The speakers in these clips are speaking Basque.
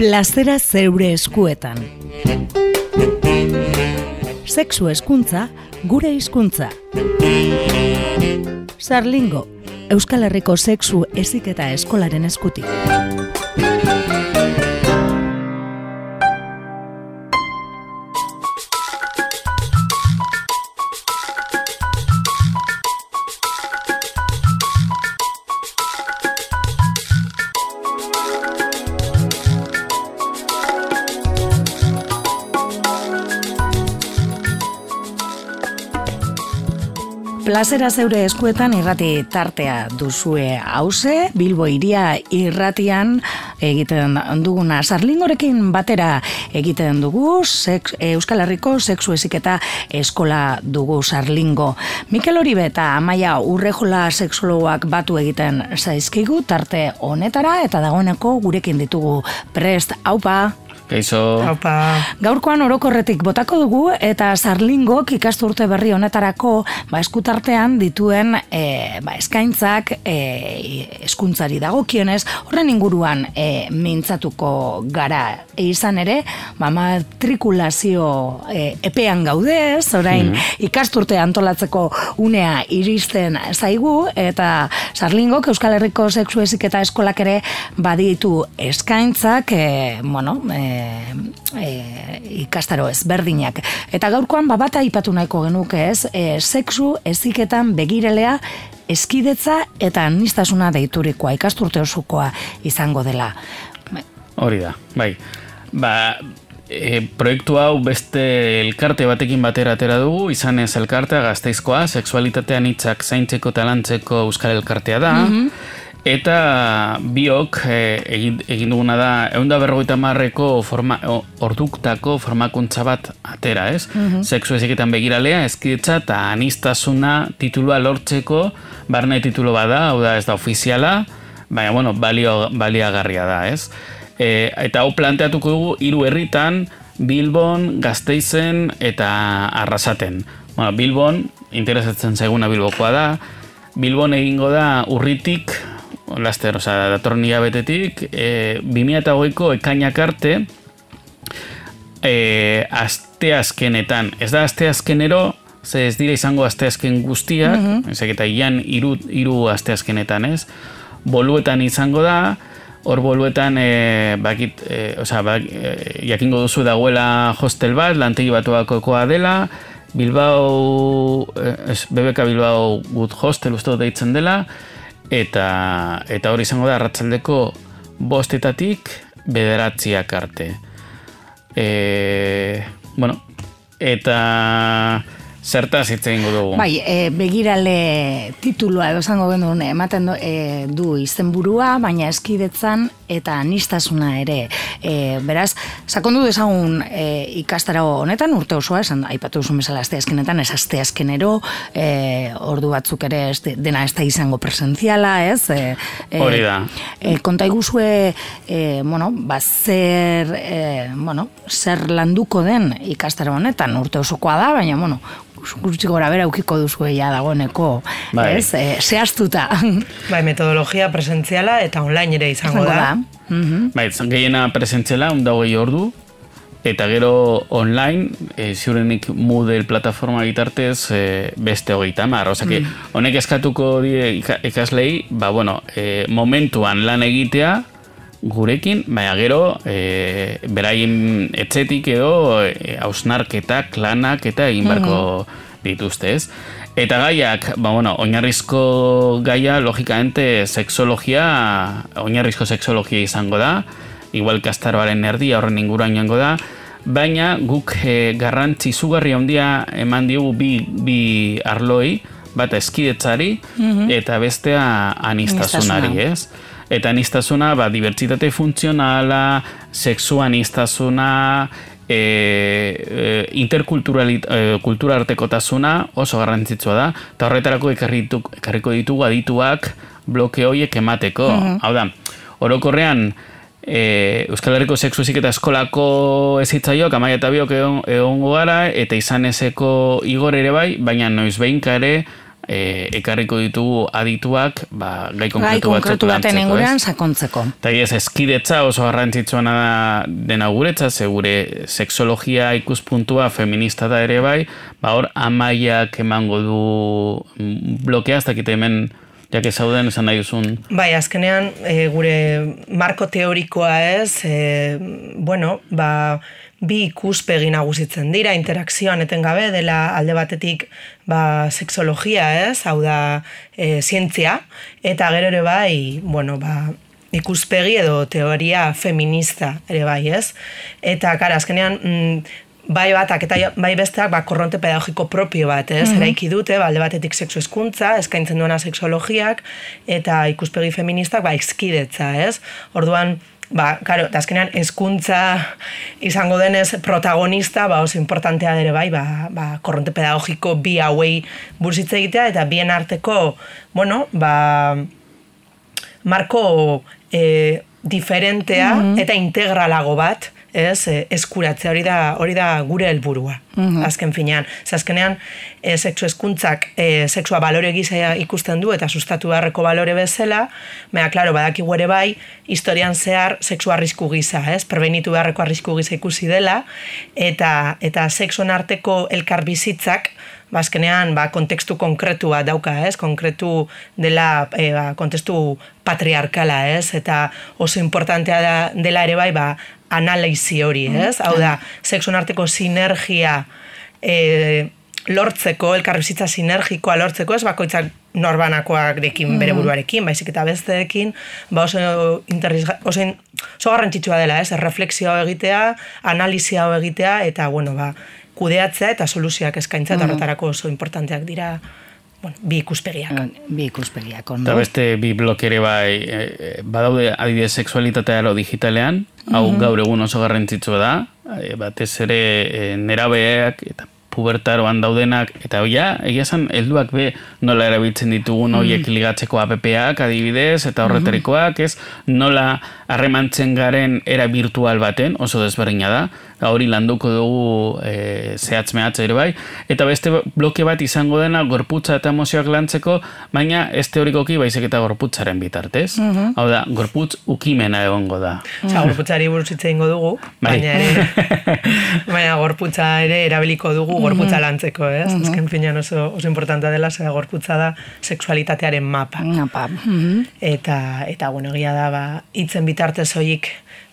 Plazera zeure eskuetan. Sexu hezkuntza, gure hizkuntza. Sarlingo, Euskal Herriko sexu heziketa eskolaren eskutik. Plazera zeure eskuetan irrati tartea duzue hauze, Bilbo Hiria irratian egiten duguna. Sarlingorekin batera egiten dugu, Euskal Herriko sexu heziketa eskola dugu Sarlingo. Mikel Oribe eta Amaia Urrejola sexologoak batu egiten zaizkigu tarte honetara eta dagoeneko gurekin ditugu prest. Aupa! Kaixo. Gaurkoan orokorretik botako dugu eta Sarlingok ikasturte berri honetarako eskutartean dituen eskaintzak hezkuntzari dagokionez horren inguruan mintzatuko gara. Izan ere, matrikulazio epean gaudez, orain ikasturte antolatzeko unea iristen zaigu eta Sarlingok Euskal Herriko sexu heziketa eskolak ere baditu eskaintzak, ikastaro ezberdinak. Eta gaurkoan bat aipatu nahiko genuke ez, sexu heziketan begirelea eskidetza eta aniztasuna deiturikoa, ikasturte osokoa izango dela. Hori da, bai. Proiektu hau beste elkarte batekin batera atera dugu, izanez elkartea Gasteizkoa, sexualitatean hitzak zaintzeko eta lantzeko euskal elkartea da, eta biok egin duguna da 150ko orduktako formakuntza bat atera, ez? Sexu heziketan begiralea, eskidetza eta aniztasuna titulua lortzeko barne titulo bada, hau da ez da ofiziala, baina baliagarria da, ez? Eta hau planteatuko dugu 3 herritan, Bilbon, Gasteizen eta Arrasaten. Bilbon, interesatzen zaiguna Bilbokoa da, Bilbon egingo da Urritik, laster, datorren hilabetetik, 2008ko ekainak arte, asteazkenetan, ez da asteazkenero, ze ez dira izango asteazken guztiak, ezak eta ian 3 asteazkenetan, ez? Boluetan izango da, hor boluetan, jakingo duzu dagoela hostel bat, lantegi batuakokoa dela, Bilbao, BBK Bilbao Good Hostel uste deitzen dela, eta hori izango da arratsaldeko 5:00 9:00 arte. Eta zertaz hitz egingo dugu. Bai, begirale titulua edo esango genuen ematen du izenburua, baina eskidetzan eta aniztasuna ere. Beraz, sakondu dezagun ikastaro honetan urte osoa, esan aipatu duzun bezala asteazkenetan, ez asteazkenero, ordu batzuk ere dena ez da izango presentziala, ez? Hori da. Konta iguzue, zer landuko den ikastaro honetan, urte osokoa da, baina, gutxi gora bera ukiko duzu dagoeneko, ez? Zehaztuta. Bai, metodologia presentziala eta online ere izango da. Bai, gehiena presentziala, 20 ordu, eta gero online, ziurenik Moodle plataforma bitartez beste 30. Osake, honek eskatuko die ikaslei, momentuan lan egitea, gurekin, baina gero beraien etxetik edo hausnarketak, lanak eta egin barko dituzte, ez? Eta gaiak, oinarrizko gaia, logikamente, oinarrizko sexologia izango da, igual kastaroaren erdia horren inguruan joango da, baina guk garrantzi izugarri handia eman diogu bi arloi, bat eskidetzari eta bestea anistasunari, ez? Eta aniztasuna, dibertsitate funtzionala, sexu aniztasuna, interkultura artekotasuna oso garrantzitsua da, eta horretarako ekarriko ditugu adituak bloke horiek emateko. Hau da, orokorrean, Euskal Herriko sexu heziketa eskolako ezitzaiok, Amaia eta biok egongo gara, eta izan ezeko Igor ere bai, baina noiz behinka ere, ekarriko ditugu adituak, gai konkretu baten inguruan sakontzeko. Eta eskidetza oso garrantzitsuena dena guretzat, ze gure sexologia ikuspuntua feminista da ere bai, hor Amaiak emango du blokea, ez dakite hemen jak ezauden esan nahi duzun. Bai, azkenean gure marko teorikoa ez, bi ikuspegi nagusitzen dira, interakzioan etengabe dela alde batetik sexologia ez, hau da zientzia, eta gero ere bai, ikuspegi edo teoria feminista ere bai ez. Eta, kara, azkenean, bai batak eta bai besteak korronte pedagogiko propio bat, ez? Eraiki dute, alde batetik sexu hezkuntza, eskaintzen duena sexologiak, eta ikuspegi feministak hizkidetza, ez? Orduan, karo, azkenean hezkuntza izango denez protagonista, oso importantea ere bai, korronte pedagogiko bi hauei buruz hitz egitea, eta bien arteko, marko diferentea eta integralago bat, eskuratzea, hori da gure helburua, azken finean. Azkenean, sexu hezkuntzak sexua balore gisa ikusten du eta sustatu beharreko balore bezala, klaro, badakigu ere bai, historian zehar sexu arrisku gisa, prebenitu beharreko arrisku gisa ikusi dela, eta sexuen arteko elkarbizitzak, azkenean, kontekstu konkretu bat dauka, konkretu dela kontekstu patriarkala, eta oso importantea dela ere bai, analizi hori, hau da, sexuen arteko sinergia lortzeko, elkarbizitza sinergikoa lortzeko, ez bakoitzak norbanakoak dekin bere buruarekin, baizik eta besteekin, oso garrantzitsua dela, reflexio egitea, analizia egitea, eta, kudeatzea eta soluzioak eskaintzea, eta horretarako oso importanteak dira, bi ikuspegiak. Bi ikuspegiak, ondo. Eta beste bi blok ere bai, badaude adibidez sexualitatea ero digitalean, hau gaur egun oso garrantzitsua da, batez ere nerabeak eta pubertaroan daudenak, eta egia esan, helduak be nola erabiltzen ditugun horiek ligatzeko app-ak adibidez, eta horretarikoak, nola harremantzen garen era virtual baten, oso desberdina da, hori landuko dugu zehatz-mehatz ere bai, eta beste bloke bat izango dena gorputza eta emozioak lantzeko, baina ez teorikoki baizik eta gorputzaren bitartez. Hau da, gorputz ukimena egongo da. Gorputzari buruz hitz egingo dugu, baina gorputza ere erabiliko dugu gorputza lantzeko, ez? Azken finean oso importantea dela, zera gorputza da sexualitatearen mapa. Eta, egia da, hitzen bitartez horiek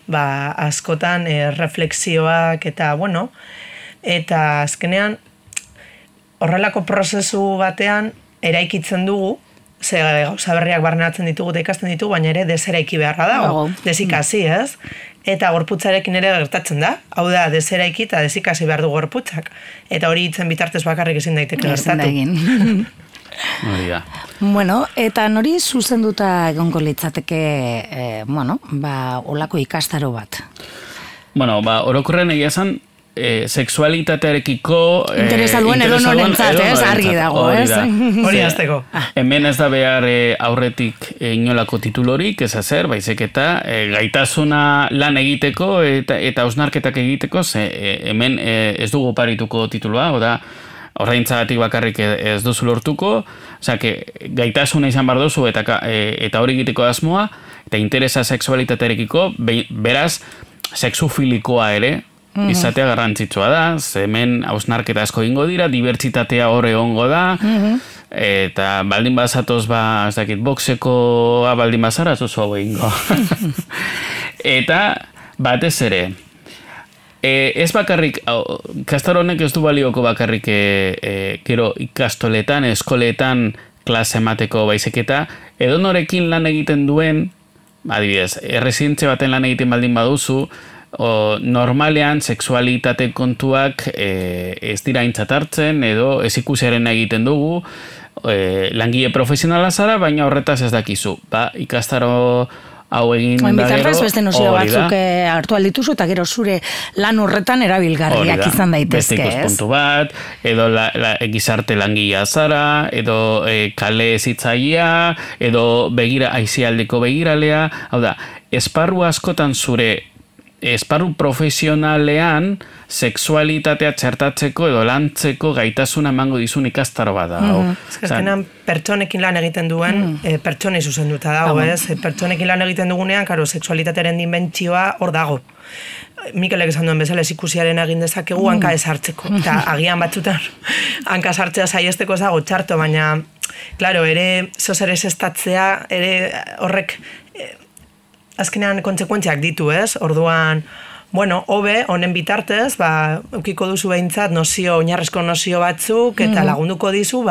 askotan reflexioak eta, eta azkenean horrelako prozesu batean eraikitzen dugu, ze gauza berriak barneatzen ditugu eta ikasten ditugu, baina ere deseraiki beharra dago, desikasi, ez? Eta gorputzarekin ere gertatzen da, hau da, deseraiki eta desikasi behar du gorputzak. Eta hori hitzen bitartez bakarrik ezin daiteke gertatu. Bueno, eta nori zuzenduta egongo litzateke, olako ikastaro bat? Orokorren egia esan, sexualitatearekiko interesa duen edo norentzat, argi dago, ez? Hori azteko. Hemen ez da behar aurretik inolako titulorik, ez hazer, baizik eta gaitasuna lan egiteko eta hausnarketak egiteko, hemen ez dugu parituko tituloa, oda, horreintzagatik bakarrik ez duzu lortuko, gaitasuna izan behar duzu eta hori egiteko asmoa, eta interesa sexualitatearekiko, beraz, sexufilikoa ere, izatea garrantzitsua da, hemen hausnarketa asko egingo dira, dibertsitatea hor egongo da, eta baldin bazatoz, ez dakit, boxekoa baldin bazara, zuzu hau egingo. Eta, batez ere, ez bakarrik, ikastaro honek ez du balioko bakarrik gero ikastoletan, eskoletan klase emateko baizik eta edonorekin lan egiten duen, adibidez, erresidentze baten lan egiten baldin baduzu, normalean sexualitate kontuak ez dira aintzat hartzen edo ez ikusiaren egiten dugu, langile profesionala zara, baina horretaz ez dakizu. Ikastaro hau egin da gero. Bitartez beste nozio batzuk hartu aldituzu eta gero zure lan horretan erabilgarriak izan daitezke, ez? Beste ikuspuntu bat, edo gizarte langilea zara, edo kale zitzaia, edo aisialdeko begiralea, hau da, esparru askotan zure esparru profesionalean sexualitatea txertatzeko edo lantzeko gaitasuna emango dizun ikastaro bat da. Azkenean pertsonekin lan egiten duen pertsonei zuzenduta dago, ez? Pertsonekin lan egiten dugunean, karo, sexualitatearen dimentsioa hor dago. Mikelek esan duen bezala, ikusiaren egin dezakegu hanka ez hartzeko. Eta agian batzutan hanka sartzea saiesteko ez dago txarto, baina, klaro, ere zozer ez estatzea, ere horrek azkenean kontsekuentziak ditu, ez? Orduan, bueno, hobe, honen bitartez, eukiko duzu behintzat oinarrezko nozio batzuk, eta lagunduko dizu,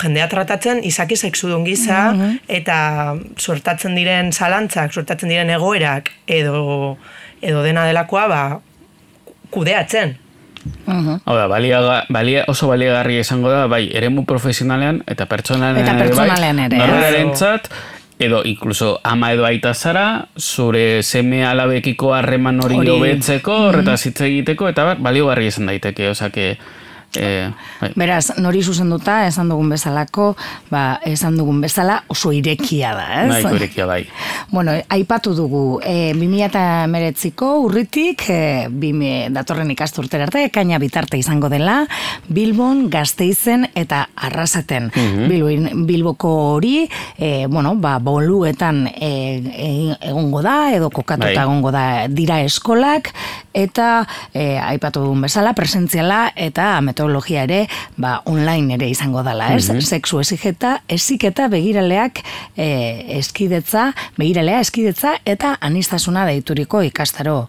jendea tratatzen izaki sexudun gisa, eta suertatzen diren zalantzak, suertatzen diren egoerak, edo dena delakoa, kudeatzen. Hau da, oso baliagarri esango da, bai, eremu profesionalean eta pertsonalean ere, norberentzat, edo inkluso ama edo aita zara, zure seme alabekiko harreman hori hobetzeko, horretaz hitz egiteko, eta baliogarri esan daiteke, osake... Beraz, nori zuzenduta, esan dugun bezalako, esan dugun bezala oso irekia da, ez? Nahiko irekia bai. Bueno, aipatu dugu, 2019ko urritik, datorren ikasturtera arte, ekaina bitarte izango dela, Bilbon, Gasteizen eta Arrasaten. Bilboko hori, boluetan egongo da, edo kokatuta egongo da dira eskolak, eta aipatu dugun bezala, presentziala eta metodologia ere, online ere izango dela, ez? Sexu heziketa begiralea eskidetza eta anistasuna deituriko ikastaro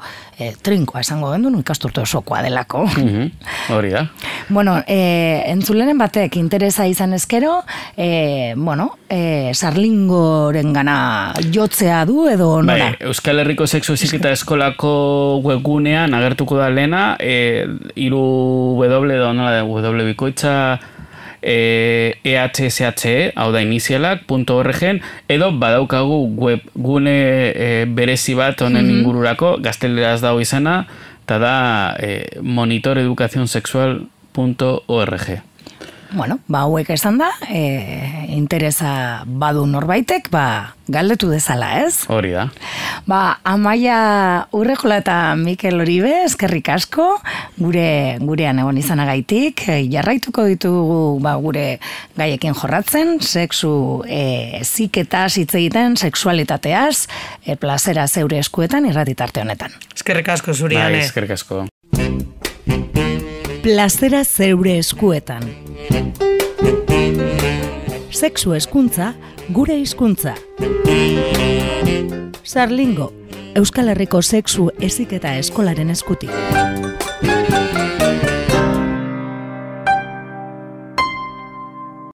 trinkoa esango gendun, ikasturte osokoa delako. Hori da. Bueno, entzulenen batek interesa izan ezkero, sarlingoren gana jotzea du edo nora? Euskal Herriko Sexu Heziketa Eskolako webgunean agertuko da lehena, W bikoitza EHSHE, hau da inizialak.org, edo badaukagu webgune berezi bat honen ingururako, gazteleraz dago izana, eta da monitoreducacionsexual.org. Bueno, hauek esan da, interesa badu norbaitek, galdetu dezala, ez? Hori da. Amaia Urrejola eta Mikel Oribe, eskerrik asko, gurean egon izanagaitik, jarraituko ditugu gure gaiekin jorratzen, sexu heziketaz hitz egiten, sexualitateaz, plazera zeure eskuetan irratitarte honetan. Eskerrik asko zuriane. Eskerrik asko. Plazera zeure eskuetan. Sexu hezkuntza, gure hizkuntza. Sarlingo, Euskal Herriko Sexu Heziketa Eskolaren eskutik.